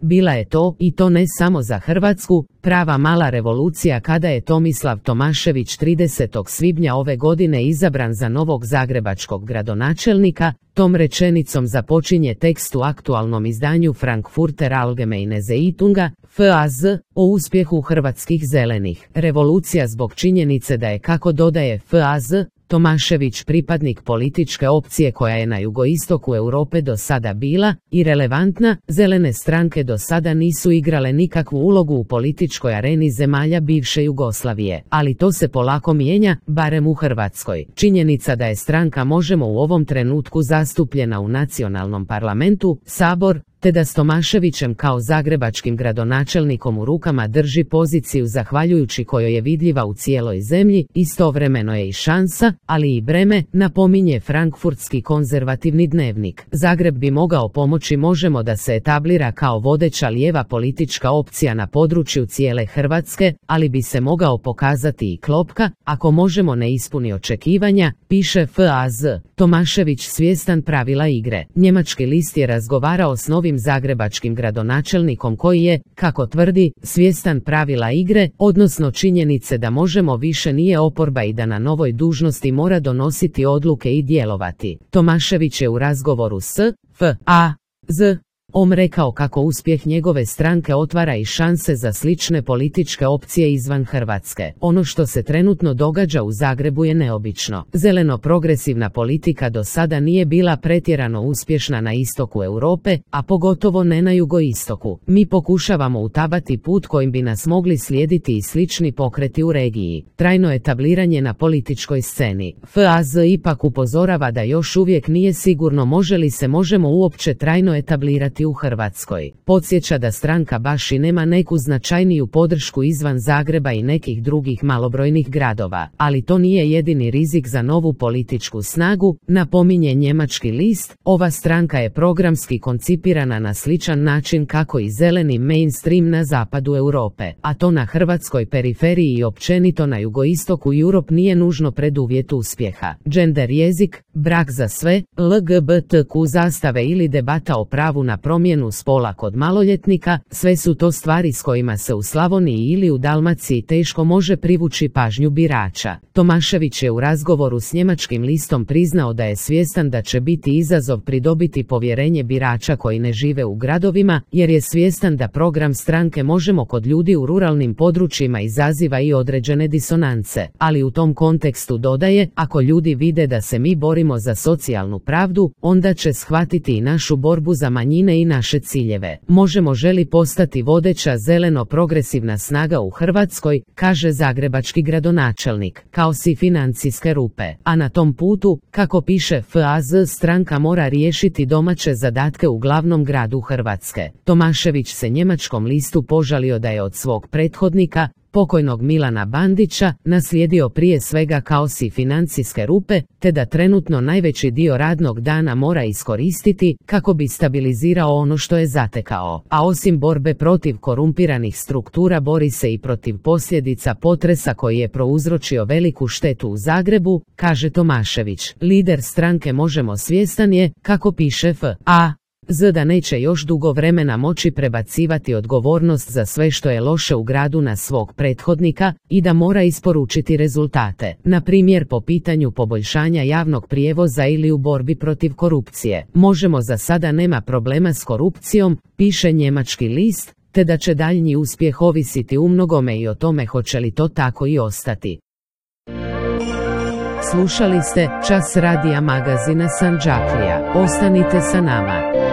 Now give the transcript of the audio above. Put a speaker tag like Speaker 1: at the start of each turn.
Speaker 1: bila je to, i to ne samo za Hrvatsku, prava mala revolucija kada je Tomislav Tomašević 30. svibnja ove godine izabran za novog zagrebačkog gradonačelnika. Tom rečenicom započinje tekst u aktualnom izdanju Frankfurter Allgemeine Zeitunga, FAZ, o uspjehu hrvatskih zelenih. Revolucija zbog činjenice da je, kako dodaje FAZ, Tomašević pripadnik političke opcije koja je na jugoistoku Europe do sada bila i relevantna. Zelene stranke do sada nisu igrale nikakvu ulogu u političkoj areni zemalja bivše Jugoslavije, ali to se polako mijenja, barem u Hrvatskoj. Činjenica da je stranka Možemo u ovom trenutku zastupljena u nacionalnom parlamentu, Sabor, te da s Tomaševićem kao zagrebačkim gradonačelnikom u rukama drži poziciju zahvaljujući kojoj je vidljiva u cijeloj zemlji, istovremeno je i šansa, ali i breme, napominje frankfurtski konzervativni dnevnik. Zagreb bi mogao pomoći Možemo da se etablira kao vodeća lijeva politička opcija na području cijele Hrvatske, ali bi se mogao pokazati i klopka, ako Možemo ne ispuni očekivanja, piše FAZ. Tomašević svjestan pravila igre. Njemački list je razgovarao s novim zagrebačkim gradonačelnikom koji je, kako tvrdi, svjestan pravila igre, odnosno činjenice da Možemo više nije oporba i da na novoj dužnosti mora donositi odluke i djelovati. Tomašević je u razgovoru s FAZ rekao kako uspjeh njegove stranke otvara i šanse za slične političke opcije izvan Hrvatske. Ono što se trenutno događa u Zagrebu je neobično. Zeleno-progresivna politika do sada nije bila pretjerano uspješna na istoku Europe, a pogotovo ne na jugoistoku. Mi pokušavamo utabati put kojim bi nas mogli slijediti i slični pokreti u regiji. Trajno etabliranje na političkoj sceni. FAZ ipak upozorava da još uvijek nije sigurno može li se Možemo uopće trajno etablirati u Hrvatskoj. Podsjeća da stranka baš i nema neku značajniju podršku izvan Zagreba i nekih drugih malobrojnih gradova, ali to nije jedini rizik za novu političku snagu, napominje njemački list. Ova stranka je programski koncipirana na sličan način kako i zeleni mainstream na zapadu Europe, a to na hrvatskoj periferiji i općenito na jugoistoku Europe nije nužno preduvjet uspjeha. Gender jezik, brak za sve, LGBTQ zastave ili debata o pravu na promjenu spola kod maloljetnika, sve su to stvari s kojima se u Slavoniji ili u Dalmaciji teško može privući pažnju birača. Tomašević je u razgovoru s njemačkim listom priznao da je svjestan da će biti izazov pridobiti povjerenje birača koji ne žive u gradovima, jer je svjestan da program stranke Možemo kod ljudi u ruralnim područjima izaziva i određene disonance, ali u tom kontekstu dodaje, ako ljudi vide da se mi borimo za socijalnu pravdu, onda će shvatiti i našu borbu za manjine i naše ciljeve. Možemo želi postati vodeća zeleno-progresivna snaga u Hrvatskoj, kaže zagrebački gradonačelnik, kao si financijske rupe. A na tom putu, kako piše FAZ, stranka mora riješiti domaće zadatke u glavnom gradu Hrvatske. Tomašević se njemačkom listu požalio da je od svog prethodnika, pokojnog Milana Bandića, naslijedio prije svega kaos i financijske rupe, te da trenutno najveći dio radnog dana mora iskoristiti kako bi stabilizirao ono što je zatekao. A osim borbe protiv korumpiranih struktura bori se i protiv posljedica potresa koji je prouzročio veliku štetu u Zagrebu, kaže Tomašević. Lider stranke Možemo svjestan je, kako piše FAZ, da neće još dugo vremena moći prebacivati odgovornost za sve što je loše u gradu na svog prethodnika i da mora isporučiti rezultate, na primjer po pitanju poboljšanja javnog prijevoza ili u borbi protiv korupcije. Možemo za sada nema problema s korupcijom, piše njemački list, te da će daljnji uspjeh ovisiti umnogome i o tome hoće li to tako i ostati. Slušali ste Čas radija magazina Sandžaklija. Ostanite sa nama.